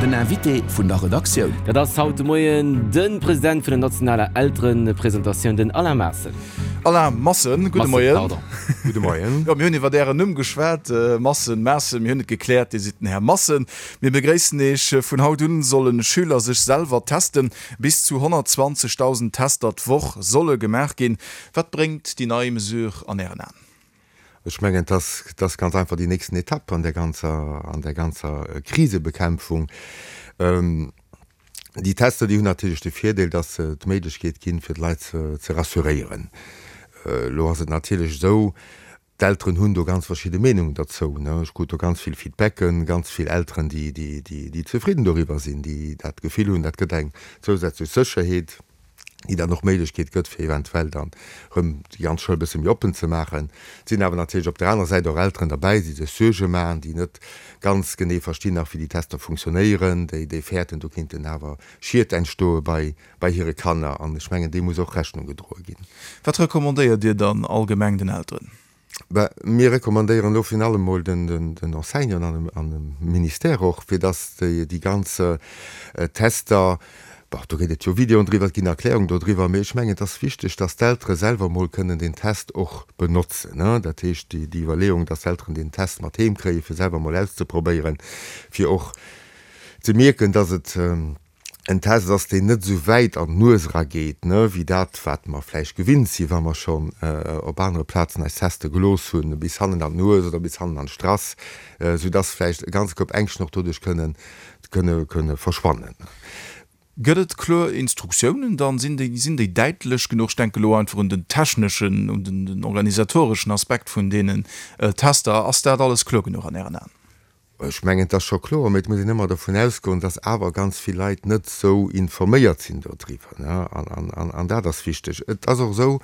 Den Invité vun der Redaktioun. Dat ass haut de Moien de President vun der nationaler Elterepresentatioun, den Alain Maassen. Alain Massen, gudde Moien. Pardon. Gudde Moien. Jo, mir hunn iwwert Ären Numm geschwat, Massen, Maassen, mir hunn et gekläert, Dir sidd den Här Massen. Mir begréissen Iech. Vun haut un solle Schüler sech selwer testen. Bis zu 120.000 Tester d'Woch solle gemaach ginn. Wat bréngt déi nei Mesure an Ären Aen? Ech mengen, et ass, et ass ganz einfach déi nächsten Etapp an där ganzer, an där ganzer Krisebekämpfung. Déi Tester, déi hunn natierlech de Virdeel, dass se d'Méiglechkeet ginn, fir d'Leit ze, ze rassuréieren. Elo ass et natierlech esou, d'Elteren hunn do ganz verschidde Meenungen derzou. Ech krut do ganz vill Feedbacken, ganz vill Elteren, déi, déi, déi, déi zefridden doriwwer sinn, déi dat Gefill hunn, dat gëtt eng zousätzlech Sécherheet. déi dann och d'Méiglechkeet gëtt, fir eventuell dann erëm déi ganz Schoul e bësse méi oppen ze maachen. Et sinn awer natierlech op der anerer Säit och Elteren derbäi, déi sech Suerge maachen, déi net ganz genee verstinn nach, wéi déi Tester funktionéieren, déi déi fäerten, do kéinten awer Schied entstoe bei bei hire Kanner. An ech mengen, deem muss och Rechnung gedroe ginn. Wat recommandéiert Dir dann allgemeng den Elteren? Ben, mir recommandéieren elo virun allem emol den Enseignanten an dem Ministère och, fir dass déi ganz Tester, bon, do gëtt et jo Videoen driwwer, et ginn Erklärungen dodriwwer, mee ech mengen, et ass wichteg, dass d'Eltere selwer emol kënnen deen Test och benotzen. Dat heescht, déi Iwwerleeung, dass d'Elteren deen Test mat heem kréien, fir selwer emol auszeprobéieren, fir och ze mierken, dass et, en Test ass, deen net esou wäit an d'Nues erageet, ne, wéi dat, wat mer vläicht gewinnt sinn, wa mer schonn op anere Plazen eis teste gelooss hunn, bis hannen an d'Nues oder bis hannen an d'Strass, soudass vläicht e ganze Koup Ängschten och doduerch kënnen, kënne, kënne verschwannen. Gëtt et kloer Instruktiounen dann? Sinn déi, sinn déi däitlech genuch? Ech denke elo einfach un den techneschen, un den organisatoreschen Aspekt vun deenen Tester. Ass dat alles kloer genuch an Ären Aen? Ech mengen, et ass scho kloer, mä et muss een ëmmer dovun ausgoen, dass awer ganz vill Leit net esou informéiert sinn dodriwwer. An dat ass wichteg. Et ass och esou,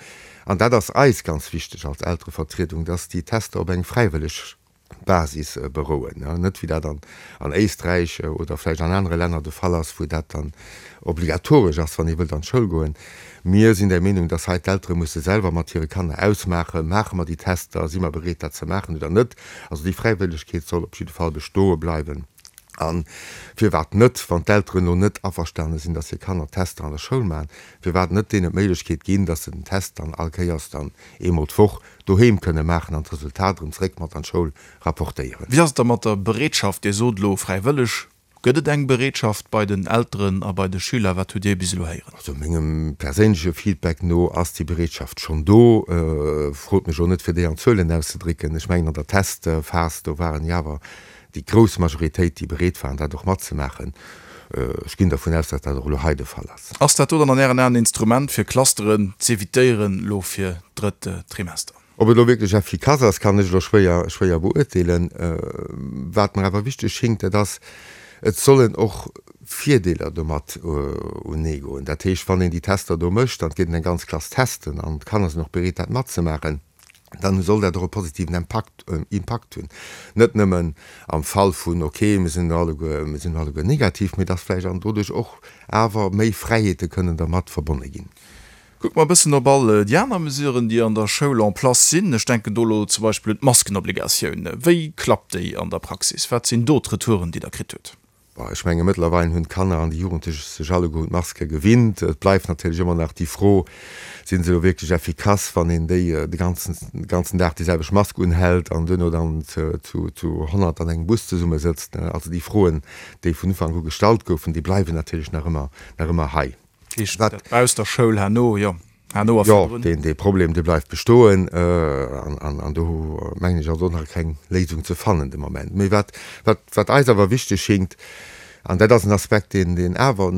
an dat ass eis ganz wichteg als Elterevertriedung, dass déi Tester op eng fräiwëlleg Basis berouen, net wéi dat an Éisträich oder vläicht an anere Länner de Fall ass, wou dat dann obligatoresch ass, wann ee wëllt an d'Schoul goen. Mir sinn der Meenung, dass hei d'Eltere musse selwer mat hire Kanner ausmaachen, Maache mer déi Tester, si mer bereet dat ze maachen oder net? Also déi Fräiwëllegkeet soll op jidde Fall bestoe bleiwen. A firwat net, wann d'Elteren elo net averstane sinn, dass hir Kanner Tester an der Schoul maachen, firwat net deenen d'Méiglechkeet ginn, dass se den Test dann all Kéiers dann eemol d'Woch doheem kënne maachen an d'Resultat erëm zréck mat an d'Schoul rapportéieren? Wéi ass et da mat der Bereetschaft? Dir sot elo fräiwëlleg. Gëtt et eng Bereetschaft bei den Elteren a bei de Schüler? Wat hutt Dir bis elo héieren? Also mengem perséinleche Feedback no ass déi Bereetschaft schonn do. Frot mech elo net fir déi an Zuelen auszedrécken. Ech mengen an der Testphas, do waren jo awer déi grouss Majoritéit déi bereet waren dat och matzemaachen. Ech ginn dervun aus, datt dat och elo hei de Fall ass. Ass dat do dann an Ären Aen en Instrument fir Clusteren z'evitéieren elo fir d'drëtt Trimester? Ob et elo wierklech effikass ass, kann ech elo schwéier, schwéier beurteelen. Wat mer awer wichteg schéngt, dat ass, et sollen och Virdeeler domat uneegoen. Dat heescht, wann een déi Tester do mécht an et geet een eng ganz Klass testen an d'Kanner sinn och bereet, dat matzemaachen, dann soll dat och e positiven Impakt, Impakt hunn. Net nëmmen am Fall vun, okay, mir sinn elo alleguer, mir sinn elo alleguer negativ, mee dass vläicht an doduerch och awer méi Fräiheete kënnen dermat verbonne ginn. Kucke mer e bëssen op all déi aner Mesuren, déi an der Schoul en place sinn. Ech denken do elo zum Beispill un d'Maskenobligatioun. Wéi klappt déi an der Praxis? Wat sinn do d'Retouren, déi Der kritt hutt? Bon, ech menge mëttlerweil hunn d'Kanner an déi Jugendlech sech alleguer un d'Maske gewinnt. Et bleift natierlech ëmmer nach déi Fro, Sinn se elo wierklech effikass, wann een déi de ganzen, de ganzen Dag déi selwecht Mask unhält an duerno dann zu, zu 100 an engem Bus zesummesëtzt? Also déi Froen, déi vun Ufank u gestallt goufen, déi bleiwen natierlech nach ëmmer, nach ëmmer hei. Heescht dat bausst der Schoul herno, jo, herno a virdrun? Jo, deen Problem, dee bleift bestoen an do mengen ech ass och nach keng Léisung ze fannen de Moment. Mee wat, wat, wat eis awer wichteg schéngt, an dat ass en Aspekt, deen, deen awer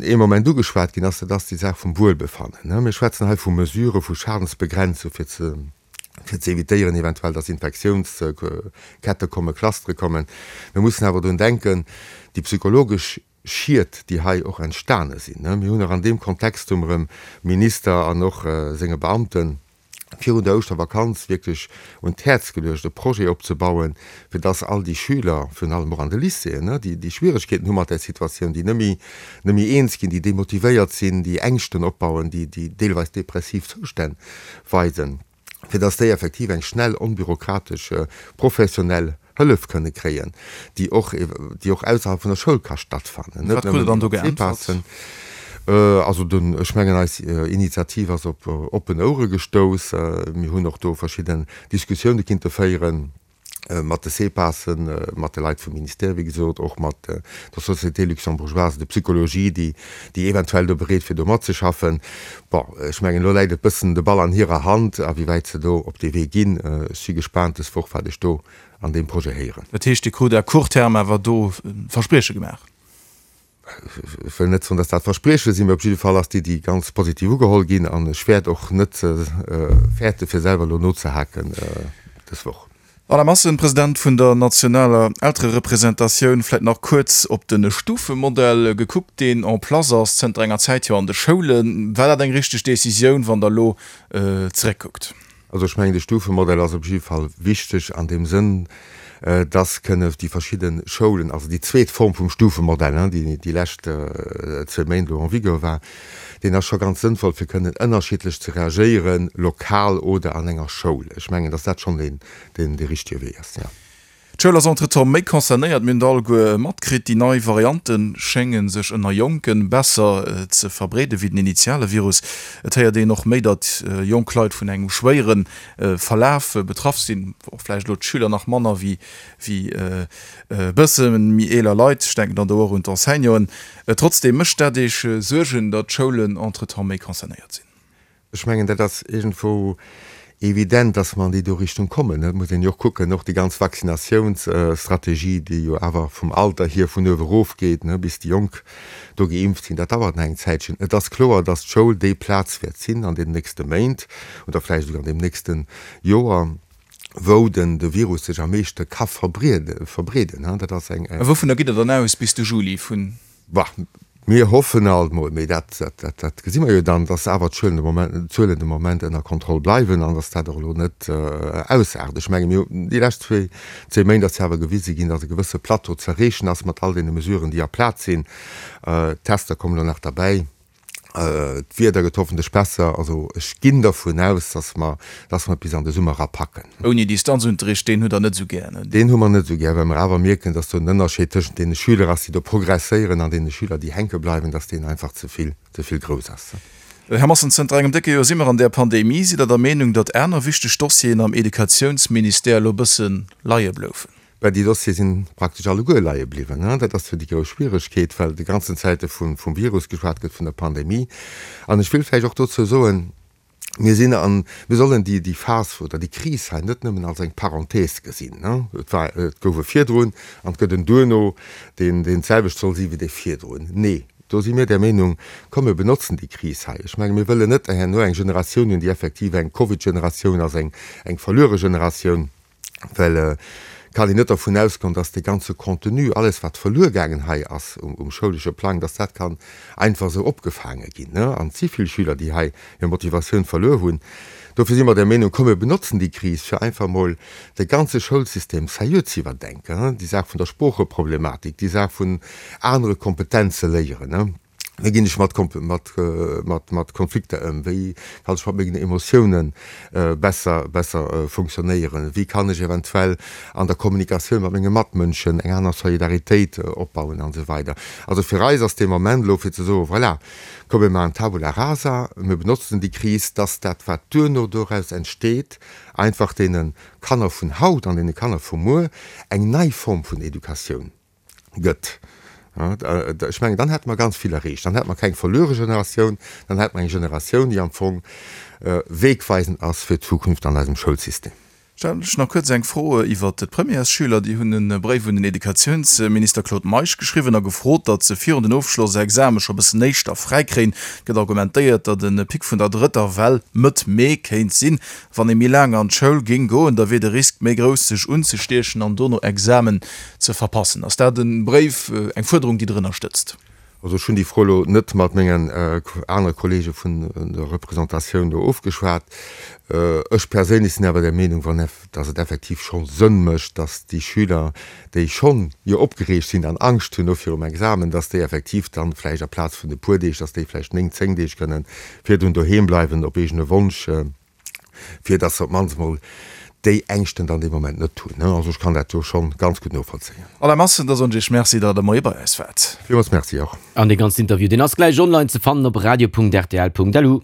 ee Moment ugeschwat ginn ass, dat ass déi Saach vum Wuelbefannen. Mir schwätzen hei vu Mesurë vu Schadensbegrenzung fir ze, fir ze evitéieren eventuell, dass Infektiounskette kommen, Clustere kommen. Mir mussen awer drun denken, déi psychologesch Schied, déi hei och entstane sinn. Mir hunn och an deem Kontext hu mer dem Minister an och senge Beamte virun der Ouschtervakanz wierklech un d'Häerz geluecht, e Projet opzebauen, fir dass all déi Schüler, virun allem och an de Lycéeën, déi déi Schwieregkeeten hu mat där Situatioun, déi net méi, net méi eens ginn, déi demotivéiert sinn, déi Ängschten opbauen, déi, déi deelweis depressiv Zoustänn weisen, fir dass déi effektiv eng schnell, onbürokratesch, professionell. Hëllef kënne kréien, déi och, déi och ausserhalb vun der Schoul ka stattfannen, net Wat krut Der nëmmen dann do iwwer geäntwert? d'CPASen. Also den, ech mengen eis Initiativ ass op oppen Ouere gestouss. Mir hunn och do verschidden Diskussioune kinnte féieren mat de CPASen, mat de Leit vum Ministère, wéi gesot, och mat der Société luxembourgeoise de psychologie, déi, déi eventuell do bereet wier do matzeschaffen. Bon, ech mengen elo läit et bëssen de Ball an hirer Hand, a wéi wäit se do op dee Wee ginn. Ech si gespaant dës Woch, wat ech do an deem Projet héieren. Dat heescht, Dir krut à court terme awer do Versprieche gemaach? Ech wëll net soen, dass dat Versprieche sinn, mee op jidde Fall ass d'Iddi ganz positiv ugeholl ginn an ech wäert och net fäerte fir selwer elo nozehaken dës Woch. Alain Massen, President vun der nationaler Eltererepresentatioun, vläit nach kuerz op de Stufemodell gekuckt, deen en place ass zënter enger Zäit jo an de Schoulen. War dat eng richteg Decisioun, wann Der elo zeréckkuckt? Also ech mengen, de Stufemodell ass op jidde Fall wichteg an deem Sënn, dass kënne déi verschidde Schoulen, also déi zweet Form vum Stufemodell, déi déi lescht zwee Méint elo en vigueur war, deen ass scho ganz sënnvoll, fir kënnen ënnerschiddlech ze reagéieren, lokal oder an enger Schoul. Ech mengen, dass dat schonn deen, deen dee richtige Wee ass, jo. D'Schoul ass entretemps méi concernéiert. Mir hunn et alleguer matkritt, déi nei Variante schénge sech ënner Jonke besser ze verbreede wéi den initiale Virus. Et héiert een och méi, datt jonk Leit vun engem schwéiere Verlaf betraff sinn, och vläicht elo d'Schüler nach manner wéi e bësse méi eeler Leit. Ech denken dann do och un d'Enseignanten. Trotzdeem, mécht dat Iech Suergen, datt d'Schoulen entretemps méi concernéiert sinn? Ech mengen, dat ass iergendwou evident, dass mer an déi do Richtung kommen. Et muss een jo och kucken, och déi ganz Vaccinatiounsstrategie, déi jo awer vum Alter hier vun uewe erof geet, bis déi Jonk do geimpft sinn, dat dauert nach eng Zäitchen. Et ass kloer, dass d'Schoul déi Plaz wäert sinn an deenen nächste Méint oder vläicht esouguer an deem nächste Joer, wou den de Virus sech am meeschte ka verbreeden. Dat ass eng. A wouvunner gitt Der dann aus bis de Juli? Vun. Bah, mir hoffen alt mol, mee dat, dat, dat gesi mer jo dann, dass awer d'Zuelen de Moment, d'Zuelen de Moment ënner Kontroll bleiwen an dass dat och elo net ausaart. Ech menge mir hunn déi lescht zwee, zwee Méint ass jo awer gewise ginn, dass e gewësse Plateau ze erreechen ass mat all deene Mesuren, déi a Plaz sinn. D'Tester kommen elo nach derbäi. D'Wieder gëtt hoffentlech besser. Also ech ginn dervun aus, dass mer, dass mer et bis an de Summer era packen. Ouni Distanzunterricht, deen hutt Der net esou gär, ne? Deen hu mer net esou gär, well mer awer mierken, dass do en Ënnerscheed tëschent deene Schüler ass, déi do progresséieren, an deene Schüler, déi hänke bleiwen, dass deen einfach ze vill, ze vill grouss ass. Här Massen, zënter engem décke Joer si mer an där Pandemie. Sidd Der der Meenung, datt aner wichteg Dossieren am Educatiounsministère elo e bësse leie bloufen? Well déi Dossiere si praktesch alleguer leie bliwwen. Dat ass jo déi grouss Schwieregkeet, well déi ganzen Zäite vum Virus geschwat gëtt, vun der Pandemie. An ech wëll vläicht och dozou soen, Mir sinn an, mir sollen déi, déi Phas oder déi Kris hei net nëmmen als eng Parenthèse gesinn. Et war, et gouf e virdrun an et gëtt en duerno, deen, deen d'selwecht soll si wéi dee virdrun. Nee, do si mir der Meenung, komm mir benotzen déi Kris hei. Ech menge mir wëllen net herno eng Generatioun hunn, déi effektiv eng Covid-Generatioun ass, eng, eng verluere Generatioun. Well et kann een net dervun ausgoen, dass dee ganze Contenu, alles wat verluer gaangen hei ass um schoulesche Plang, dass dat kann einfach esou opgefaange ginn. An et si vill Schüler, déi hei hir Motivatioun verluer hunn. Dofir si mer der Meenung, komm mir benotzen déi Kris, fir einfach emol de ganze Schoulsystem sérieux ze iwwerdenken, déi Saach vun der Sproocheproblematik, déi Saach vun anere Kompetenze léieren. Wéi ginn ech mat mat Konflikter ëm? Wéi kann ech mat mengen Emotiounen besser besser funktionéieren? Wéi kann ech eventuell an der Kommunikatioun mat menge Matmënschen eng aner Solidaritéit opbauen an esou weider. Also fir eis ass dee Moment elo fir ze soen, voilà, komm mir maachen Tabula rasa, mir benotzen déi Kris, dass dat wat duerno doraus entsteet, einfach deene Kanner vun haut an deene Kanner vu muer eng nei Form vun Educatioun gëtt. Ech mengen, dann hätte mer ganz vill erreecht. Dann hätte mer keng verluere Generatioun, dann hätte mer eng Generatioun, déi am Fong wegweisend ass fir d'Zukunft an eisem Schoulsystem. Stellen ech nach kuerz eng Fro iwwert d'Premièresschüler. Déi hunn e Bréif un den Educatiounsminister Claude Meisch geschriwwen a gefrot, datt se virun den Ofschlossexame scho bëssen éischter fräi kréien. Et gëtt argumentéiert, datt e Pic vun der drëtter Well Mëtt Mee kéint sinn. Wann ee méi laang an d'Schoul géing goen, da wier de Risk méi grouss, sech unzestiechen an dono Examen ze verpassen. Ass dat e Bréif, eng Fuerderung, déi Der ënnerstëtzt? Also ech hunn déi Fro elo net mat mengen anere Kollege vun der Représentatioun do ofgeschwat. Ech perséinlech sinn awer der Meenung, wann, datt et effektiv scho Sënn mécht, datt déi Schüler, déi schonn jo opgereegt sinn an Angscht hunn no virum Examen, datt déi effektiv dann vläicht aplaz vun e puer Deeg, datt déi vläicht néng, zéng Deeg kënnen virdrun doheem bleiwen op eegene Wonsch, fir dass se op d'mannst mol déi Ängschten dann dee Moment net hunn. Also ech kann dat do schonn ganz gutt novollzéien. Alain Massen, da soen ech Iech Merci, datt Der de Moie bei eis waart. Villmools Merci och. An dee ganzen Interview, deen ass gläich online ze fannen op radio.rtl.lu.